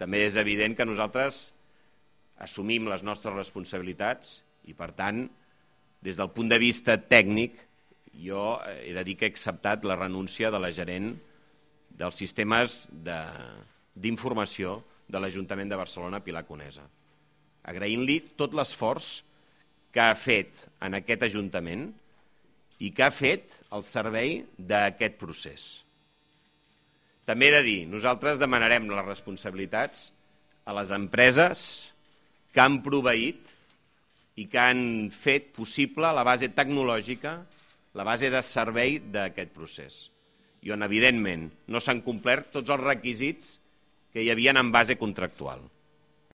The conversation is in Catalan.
també és evident que nosaltres assumim les nostres responsabilitats i, per tant, des del punt de vista tècnic, jo he de dir que he acceptat la renúncia de la gerent dels sistemes d'informació de l'Ajuntament de Barcelona, Pilar Conesa, agraint-li tot l'esforç que ha fet en aquest Ajuntament i que ha fet al servei d'aquest procés. També he de dir, nosaltres demanarem les responsabilitats a les empreses que han proveït i que han fet possible la base tecnològica, la base de servei d'aquest procés, i on, evidentment, no s'han complert tots els requisits que hi havia en base contractual.